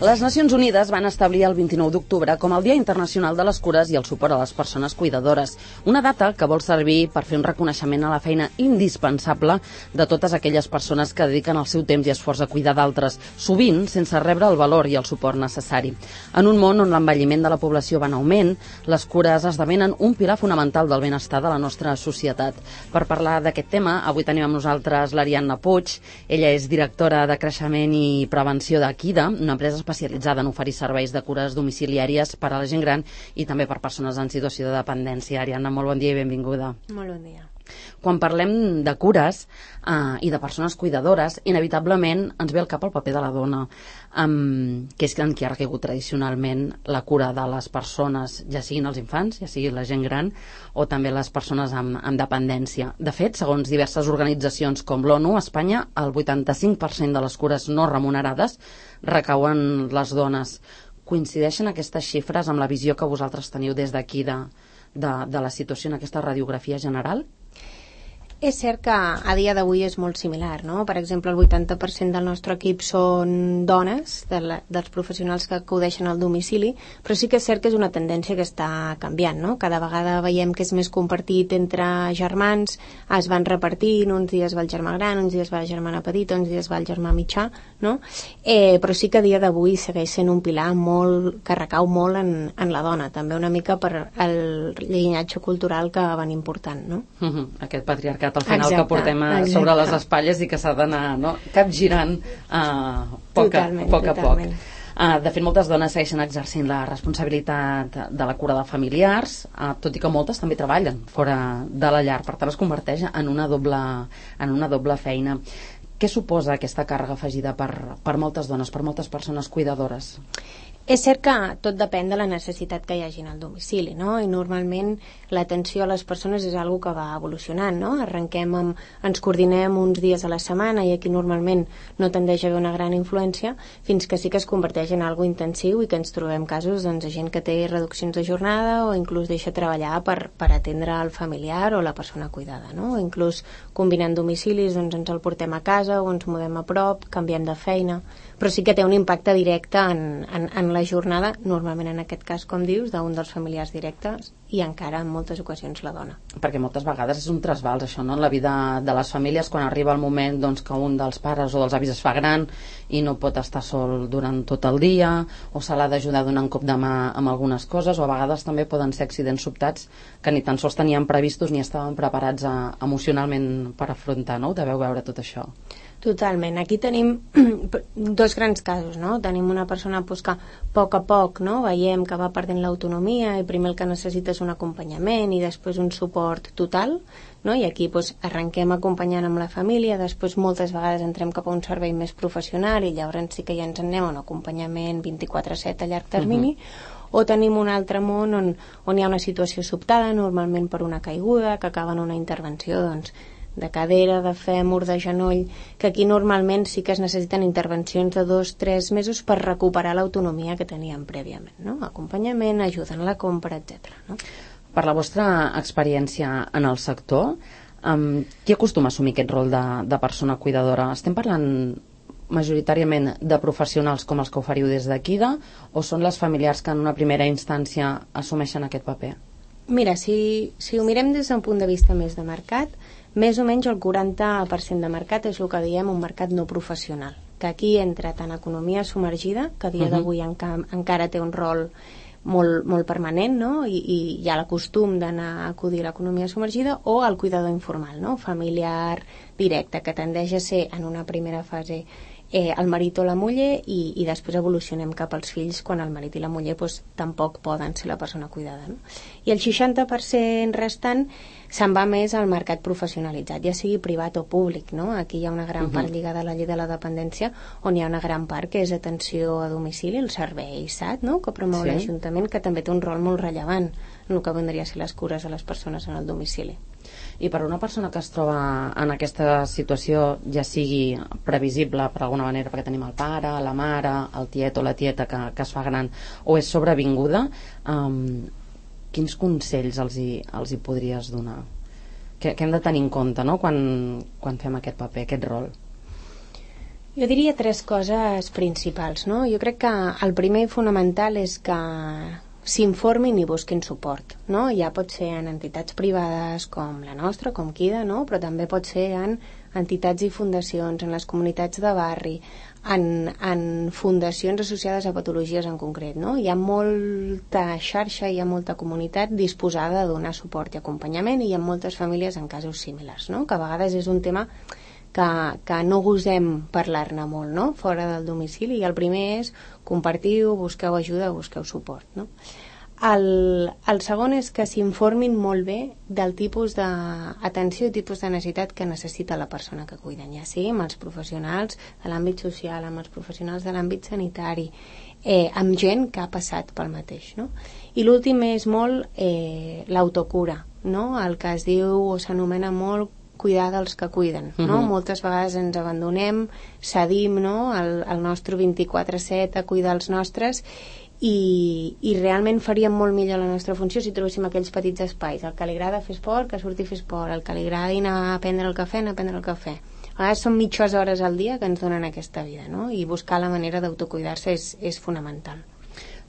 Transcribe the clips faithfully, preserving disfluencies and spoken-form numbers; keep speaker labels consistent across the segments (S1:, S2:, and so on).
S1: Les Nacions Unides van establir el vint-i-nou d'octubre com el Dia Internacional de les Cures i el suport a les persones cuidadores, una data que vol servir per fer un reconeixement a la feina indispensable de totes aquelles persones que dediquen el seu temps i esforç a cuidar d'altres, sovint sense rebre el valor i el suport necessari. En un món on l'envelliment de la població va en augment, les cures esdevenen un pilar fonamental del benestar de la nostra societat. Per parlar d'aquest tema, avui tenim amb nosaltres l'Ariadna Puig. Ella és directora de Creixement i Prevenció d'Akida, una empresa especialitzada en oferir serveis de cures domiciliàries per a la gent gran i també per persones en situació de dependència. Ariadna, molt bon dia i benvinguda.
S2: Molt bon dia.
S1: Quan parlem de cures eh, i de persones cuidadores, inevitablement ens ve al cap el paper de la dona, um, que és en qui ha recaigut tradicionalment la cura de les persones, ja siguin els infants, ja sigui la gent gran, o també les persones amb, amb dependència. De fet, segons diverses organitzacions com l'ONU, a Espanya el vuitanta-cinc per cent de les cures no remunerades recauen les dones. Coincideixen aquestes xifres amb la visió que vosaltres teniu des d'aquí de, de, de la situació en aquesta radiografia general?
S2: És cert que a dia d'avui és molt similar, no? Per exemple, el vuitanta per cent del nostre equip són dones, de la, dels professionals que acudeixen al domicili, però sí que és cert que és una tendència que està canviant, no? Cada vegada veiem que és més compartit entre germans, es van repartint, uns dies va el germà gran, uns dies va la germana petita, uns dies va el germà mitjà, no? Eh, però sí que a dia d'avui segueix sent un pilar molt, que recau molt en, en la dona, també una mica per el llinatge cultural que van important, no?
S1: Uh-huh. Aquest patriarcat al final
S2: exacte,
S1: que portem a, sobre les espatlles i que s'ha d'anar, no?, capgirant uh, poc,
S2: totalment,
S1: a, poc a
S2: totalment.
S1: poc. Uh, de fet, moltes dones segueixen exercint la responsabilitat de la cura de familiars, uh, tot i que moltes també treballen fora de la llar, per tant es converteix en una doble, en una doble feina. Què suposa aquesta càrrega afegida per, per moltes dones, per moltes persones cuidadores?
S2: És cert que tot depèn de la necessitat que hi hagi al domicili, no? I normalment l'atenció a les persones és algo que va evolucionant, no? Arrenquem amb, ens coordinem uns dies a la setmana i aquí normalment no tendeix a haver una gran influència, fins que sí que es converteix en algo intensiu i que ens trobem casos doncs, de gent que té reduccions de jornada o inclús deixa treballar per, per atendre el familiar o la persona cuidada, no? O inclús combinant domicilis doncs ens el portem a casa o ens mudem a prop, canviem de feina, però sí que té un impacte directe en, en, en la jornada, normalment en aquest cas, com dius, d'un dels familiars directes i encara en moltes ocasions la dona.
S1: Perquè moltes vegades és un trasbals això, no?, en la vida de les famílies, quan arriba el moment doncs, que un dels pares o dels avis es fa gran i no pot estar sol durant tot el dia, o se l'ha d'ajudar donant cop de mà amb algunes coses, o a vegades també poden ser accidents sobtats que ni tan sols tenien previstos ni estaven preparats a, emocionalment per afrontar, no?, ho deveu veure tot això.
S2: Totalment. Aquí tenim dos grans casos, no? Tenim una persona pues, que a poc a poc, no?, veiem que va perdent l'autonomia i primer el que necessita és un acompanyament i després un suport total, no? I aquí pues, arrenquem acompanyant amb la família, després moltes vegades entrem cap a un servei més professional i llavors sí que ja ens en anem a un acompanyament vint-i-quatre set a llarg termini, uh-huh. O tenim un altre món on, on hi ha una situació sobtada, normalment per una caiguda, que acaba en una intervenció, doncs, de cadera, de fèmur, de genoll, que aquí normalment sí que es necessiten intervencions de dos, tres mesos per recuperar l'autonomia que teníem prèviament, no? Acompanyament, ajuda en la compra, etcètera. No?
S1: Per la vostra experiència en el sector, um, qui acostuma a assumir aquest rol de, de persona cuidadora? Estem parlant majoritàriament de professionals com els que oferiu des d'Akida o són les familiars que en una primera instància assumeixen aquest paper?
S2: Mira, si, si ho mirem des d'un punt de vista més de mercat, més o menys el quaranta per cent de mercat és el que diem un mercat no professional, que aquí entra tant economia submergida, que a dia uh-huh. d'avui enca encara té un rol molt, molt permanent, no? I, i hi ha el costum d'anar a acudir a l'economia submergida, o el cuidador informal, no? Familiar directe, que tendeix a ser en una primera fase eh, el marit o la muller i, i després evolucionem cap als fills quan el marit i la muller pues, tampoc poden ser la persona cuidada, no? I el seixanta per cent restant se'n va més al mercat professionalitzat, ja sigui privat o públic, no? Aquí hi ha una gran uh-huh. part lligada a la llei de la dependència, on hi ha una gran part que és atenció a domicili, el servei S A T, no?, que promou sí. l'Ajuntament, que també té un rol molt rellevant en el que vendria a ser les cures a les persones en el domicili.
S1: I per una persona que es troba en aquesta situació, ja sigui previsible per alguna manera, perquè tenim el pare, la mare, el tiet o la tieta que, que es fa gran, o és sobrevinguda, um, quins consells els hi, els hi podries donar? Què, què hem de tenir en compte, no?, quan, quan fem aquest paper, aquest rol?
S2: Jo diria tres coses principals, no? Jo crec que el primer i fonamental és que s'informin i busquin suport, no? Ja pot ser en entitats privades com la nostra, com Kida, no? Però també pot ser en entitats i fundacions, en les comunitats de barri, en, en fundacions associades a patologies en concret, no? Hi ha molta xarxa, hi ha molta comunitat disposada a donar suport i acompanyament, i hi ha moltes famílies en casos similars, no? Que a vegades és un tema que, que no gosem parlar-ne molt, no? Fora del domicili, i el primer és compartiu, busqueu ajuda, busqueu suport, no? El, el segon és que s'informin molt bé del tipus d'atenció i tipus de necessitat que necessita la persona que cuiden, ja sigui amb els professionals de l'àmbit social, amb els professionals de l'àmbit sanitari, eh, amb gent que ha passat pel mateix, no? I l'últim és molt eh, l'autocura, no? El que es diu o s'anomena molt cuidar dels que cuiden, no? Uh-huh. Moltes vegades ens abandonem, cedim, no? el, el nostre vint-i-quatre set a cuidar els nostres, i, i realment faríem molt millor la nostra funció si trobéssim aquells petits espais. El que li agrada fer esport, que surti a fer esport. El que li agrada anar a prendre el cafè, anar a prendre el cafè. A vegades són mitges hores al dia que ens donen aquesta vida, no? I buscar la manera d'autocuidar-se és, és fonamental.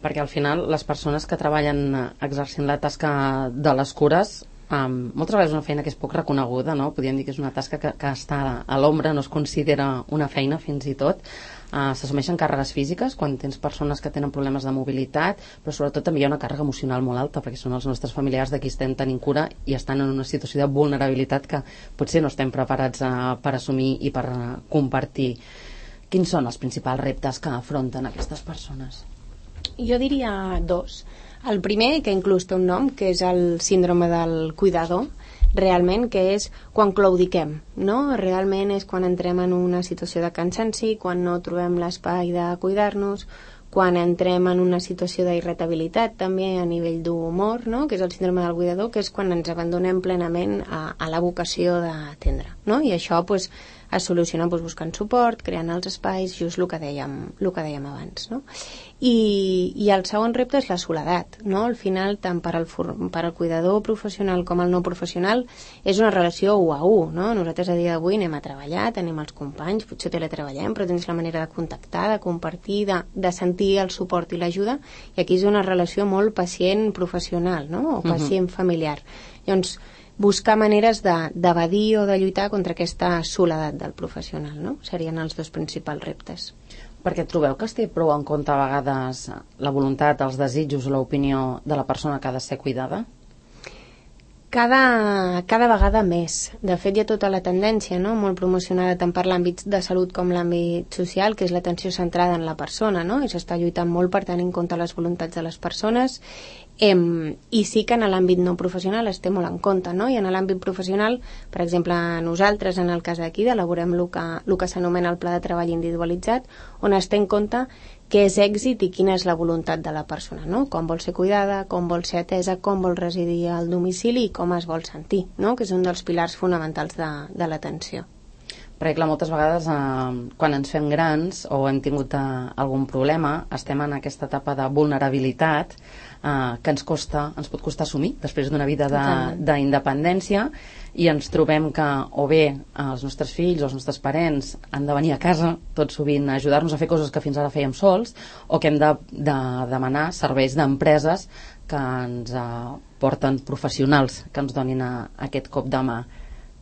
S1: Perquè al final les persones que treballen exercint la tasca de les cures, Um, moltes vegades és una feina que és poc reconeguda, no? Podríem dir que és una tasca que, que està a l'ombra, no es considera una feina fins i tot. Uh, s'assumeixen càrregues físiques quan tens persones que tenen problemes de mobilitat, però sobretot també hi ha una càrrega emocional molt alta, perquè són els nostres familiars de qui estem tenint cura i estan en una situació de vulnerabilitat que potser no estem preparats uh, per assumir i per uh, compartir. Quins són els principals reptes que afronten aquestes persones?
S2: Jo diria dos. El primer, que inclús té un nom, que és el síndrome del cuidador, realment, que és quan claudiquem, no? Realment és quan entrem en una situació de cansanci, quan no trobem l'espai de cuidar-nos, quan entrem en una situació d'irritabilitat també a nivell d'humor, no? Que és el síndrome del cuidador, que és quan ens abandonem plenament a, a la vocació d'atendre, no? I això pues, es soluciona pues, buscant suport, creant els espais, just el que dèiem, el que dèiem abans, no? I, i el segon repte és la soledat, no? Al final, tant per al, per al cuidador professional com el no professional, és una relació u a u, no? Nosaltres a dia d'avui anem a treballar, tenim els companys, potser teletreballem, però tens la manera de contactar, de compartir, de, de sentir el suport i l'ajuda, i aquí és una relació molt pacient-professional, no? O pacient-familiar. Llavors, buscar maneres d'evadir o de lluitar contra aquesta soledat del professional, no? Serien els dos principals reptes.
S1: Perquè trobeu que es té prou en compte a vegades la voluntat, els desitjos o l'opinió de la persona que ha de ser cuidada?
S2: Cada, cada vegada més. De fet, hi ha tota la tendència, no? Molt promocionada tant per l'àmbit de salut com l'àmbit social, que és l'atenció centrada en la persona, no? I s'està lluitant molt per tenir en compte les voluntats de les persones. Em, i sí que en l'àmbit no professional es té molt en compte, no? I en l'àmbit professional, per exemple, nosaltres, en el cas d'aquí, elaborem el que, el que s'anomena el pla de treball individualitzat, on es té en compte què és èxit i quina és la voluntat de la persona, no? Com vol ser cuidada, com vol ser atesa, com vol residir al domicili i com es vol sentir, no? Que és un dels pilars fonamentals de, de l'atenció.
S1: Perquè, clar, moltes vegades eh, quan ens fem grans o hem tingut eh, algun problema, estem en aquesta etapa de vulnerabilitat eh, que ens costa, ens pot costar assumir després d'una vida d'independència, i ens trobem que o bé els nostres fills o els nostres parents han de venir a casa tot sovint a ajudar-nos a fer coses que fins ara fèiem sols, o que hem de, de demanar serveis d'empreses que ens eh, porten professionals que ens donin a, a aquest cop de mà.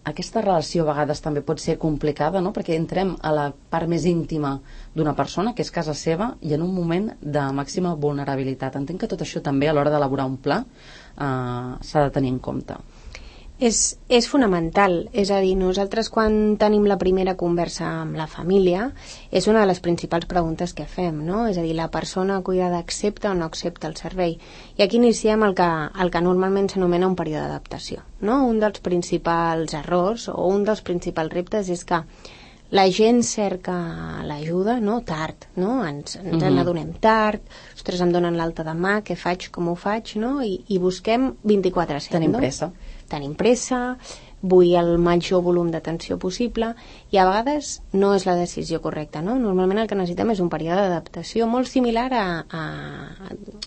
S1: Aquesta relació a vegades també pot ser complicada, no? Perquè entrem a la part més íntima d'una persona, que és casa seva, i en un moment de màxima vulnerabilitat. Entenc que tot això també a l'hora d'elaborar un pla eh, s'ha de tenir en compte.
S2: És, és fonamental, és a dir, nosaltres quan tenim la primera conversa amb la família és una de les principals preguntes que fem, no? És a dir, la persona cuidada accepta o no accepta el servei. I aquí iniciem el que, el que normalment s'anomena un període d'adaptació, no? Un dels principals errors o un dels principals reptes és que la gent cerca l'ajuda, no? Tard, no? Ens, ens uh-huh. n'adonem tard, ostres, em donen l'alta demà, què faig, com ho faig, no? I, i busquem vint-i-quatre set,
S1: Tenim
S2: no?
S1: pressa.
S2: Tenim pressa, vull el major volum d'atenció possible, i a vegades no és la decisió correcta, no? Normalment el que necessitem és un període d'adaptació molt similar a, a,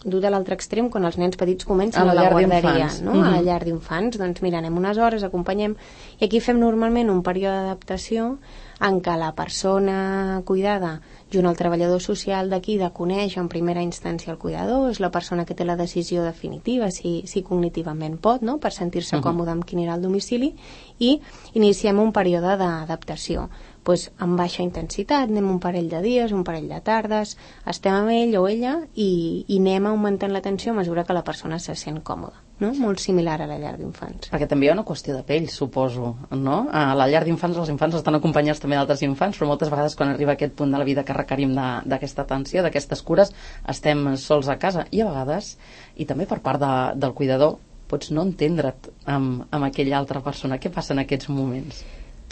S2: dut a l'altre extrem, quan els nens petits comencen a la,
S1: a la
S2: guarderia, no?
S1: Mm-hmm.
S2: A la llar d'infants, doncs mira, anem unes hores, acompanyem, i aquí fem normalment un període d'adaptació en què la persona cuidada, junt al treballador social d'aquí, de conèixer en primera instància el cuidador, és la persona que té la decisió definitiva, si, si cognitivament pot, no?, per sentir-se uh-huh. còmode amb quin era el domicili, i iniciem un període d'adaptació. Pues, amb baixa intensitat, anem un parell de dies, un parell de tardes, estem amb ell o ella i, i anem augmentant l'atenció a mesura que la persona se sent còmoda, no? Molt similar a la llar d'infants.
S1: Perquè també hi ha una qüestió de pell, suposo, no? A la llar d'infants els infants estan acompanyats també d'altres infants, però moltes vegades quan arriba aquest punt de la vida que requerim d'aquesta atenció, d'aquestes cures, estem sols a casa i a vegades, i també per part de, del cuidador, pots no entendre't amb, amb aquella altra persona. Què passa en aquests moments?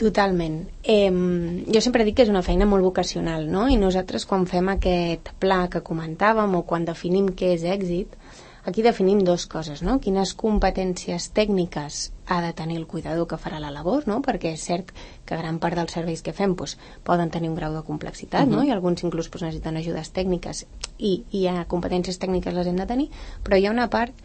S2: Totalment. Eh, jo sempre dic que és una feina molt vocacional, no? I nosaltres quan fem aquest pla que comentàvem o quan definim què és èxit, aquí definim dues coses, no? Quines competències tècniques ha de tenir el cuidador que farà la labor, no? Perquè és cert que gran part dels serveis que fem doncs, poden tenir un grau de complexitat, uh-huh. no? I alguns inclús doncs, necessiten ajudes tècniques i, i hi ha competències tècniques les hem de tenir, però hi ha una part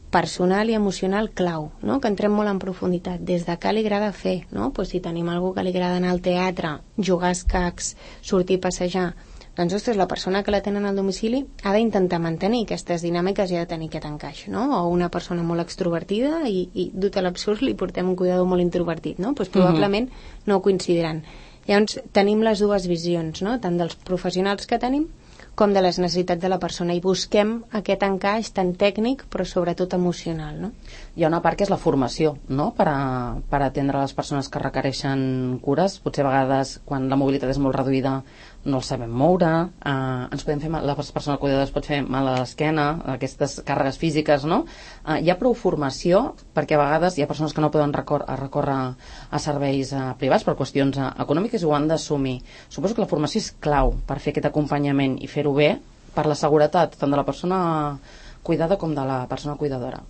S2: personal i emocional clau, no? Que entrem molt en profunditat, des de què li agrada fer, no? Pues si tenim algú que li agrada anar al teatre, jugar a escacs, sortir a passejar, doncs, ostres, la persona que la tenen al domicili ha d'intentar mantenir aquestes dinàmiques i ha de tenir aquest encaix, no? O una persona molt extrovertida i, i dut a l'absurd li portem un cuidador molt introvertit, no? Pues probablement uh-huh. no coincidiran. Llavors, tenim les dues visions, no? Tant dels professionals que tenim com de les necessitats de la persona i busquem aquest encaix tan tècnic però sobretot emocional, no?
S1: Hi ha una part que és la formació, no? Per, a, per atendre les persones que requereixen cures. Potser a vegades quan la mobilitat és molt reduïda no el sabem moure, eh, ens podem fer mal, la persona cuidadora es pot fer mal a l'esquena, aquestes càrregues físiques, no? Eh, hi ha prou formació perquè a vegades hi ha persones que no poden recor a recórrer a serveis eh, privats per qüestions eh, econòmiques i ho han d'assumir. Suposo que la formació és clau per fer aquest acompanyament i fer-ho bé per la seguretat tant de la persona cuidada com de la persona cuidadora.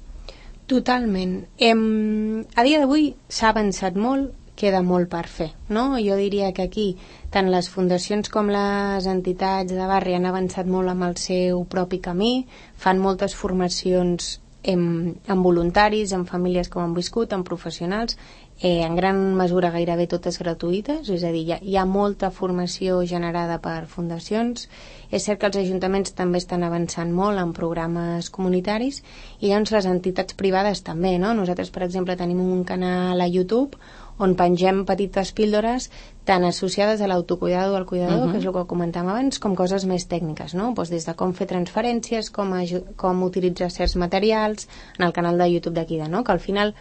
S2: Totalment. Em, a dia d'avui s'ha avançat molt, queda molt per fer, no? Jo diria que aquí tant les fundacions com les entitats de barri han avançat molt amb el seu propi camí, fan moltes formacions amb, amb voluntaris, amb famílies com han viscut, amb professionals, eh, en gran mesura gairebé totes gratuïtes, és a dir, hi ha, hi ha molta formació generada per fundacions. És cert que els ajuntaments també estan avançant molt en programes comunitaris i llavors les entitats privades també, no? Nosaltres, per exemple, tenim un canal a YouTube on pengem petites píldores tant associades a l'autocuidado del cuidador, uh-huh. que és el que comentàvem abans, com coses més tècniques, no? Pues des de com fer transferències, com, com utilitzar certs materials, en el canal de YouTube d'aquí, no? Que al final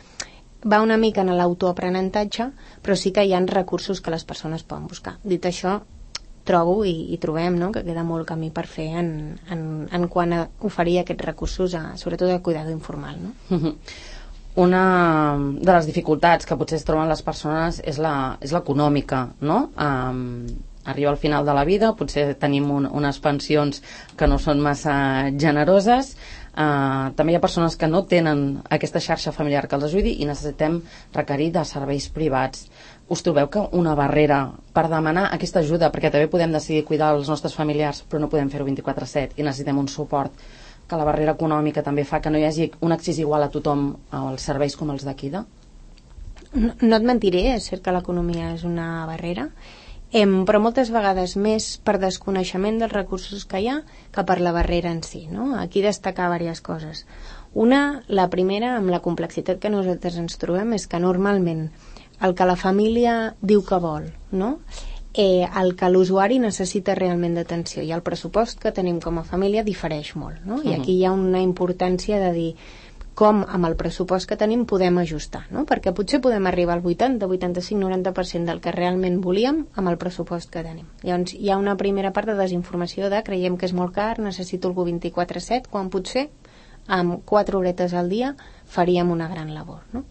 S2: va una mica en l'autoaprenentatge, però sí que hi ha recursos que les persones poden buscar. Dit això, trobo i, i trobem, no?, que queda molt camí per fer en, en, en quant a oferir aquests recursos, a, sobretot al cuidado informal, no?
S1: Uh-huh. Una de les dificultats que potser es troben les persones és la, és l'econòmica, no? Um, arriba al final de la vida, potser tenim un, unes pensions que no són massa generoses, uh, també hi ha persones que no tenen aquesta xarxa familiar que els ajudi i necessitem requerir de serveis privats. Us trobeu que una barrera per demanar aquesta ajuda, perquè també podem decidir cuidar els nostres familiars però no podem fer-ho vint-i-quatre set i necessitem un suport, que la barrera econòmica també fa que no hi hagi un accés igual a tothom als serveis com els d'aquí? No,
S2: no et mentiré, és cert que l'economia és una barrera, em, però moltes vegades més per desconeixement dels recursos que hi ha que per la barrera en si, no? Aquí destacar diverses coses. Una, la primera, amb la complexitat que nosaltres ens trobem, és que normalment el que la família diu que vol, no?, Eh, el que l'usuari necessita realment d'atenció i el pressupost que tenim com a família difereix molt, no? I aquí hi ha una importància de dir com amb el pressupost que tenim podem ajustar, no? Perquè potser podem arribar al vuitanta, vuitanta-cinc, noranta per cent del que realment volíem amb el pressupost que tenim. Llavors hi ha una primera part de desinformació de creiem que és molt car, necessito algú vint-i-quatre set, quan potser amb quatre horetes al dia faríem una gran labor, no?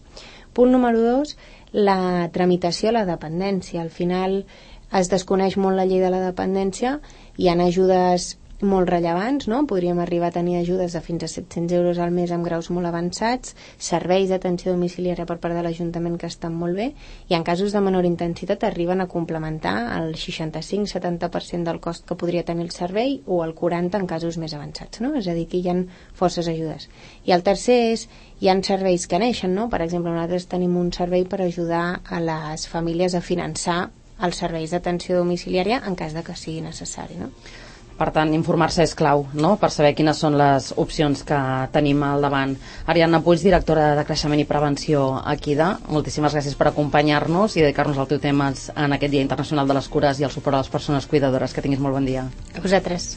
S2: Punt número dos, la tramitació a la dependència. Al final es desconeix molt la llei de la dependència, hi ha ajudes molt rellevants, no? Podríem arribar a tenir ajudes de fins a set-cents euros al mes amb graus molt avançats, serveis d'atenció domiciliària per part de l'Ajuntament que estan molt bé, i en casos de menor intensitat arriben a complementar el seixanta-cinc a setanta per cent del cost que podria tenir el servei o el quaranta per cent en casos més avançats, no? És a dir, que hi ha forces ajudes. I el tercer és, hi ha serveis que neixen, no? Per exemple, nosaltres tenim un servei per ajudar a les famílies a finançar els serveis d'atenció domiciliària en cas de que sigui necessari, no?
S1: Per tant, informar-se és clau, no?, per saber quines són les opcions que tenim al davant. Ariadna Puig, directora de Creixement i Prevenció a Equida, moltíssimes gràcies per acompanyar-nos i dedicar-nos al teu tema en aquest Dia Internacional de les Cures i el suport a les persones cuidadores. Que tinguis molt bon dia.
S2: A vosaltres.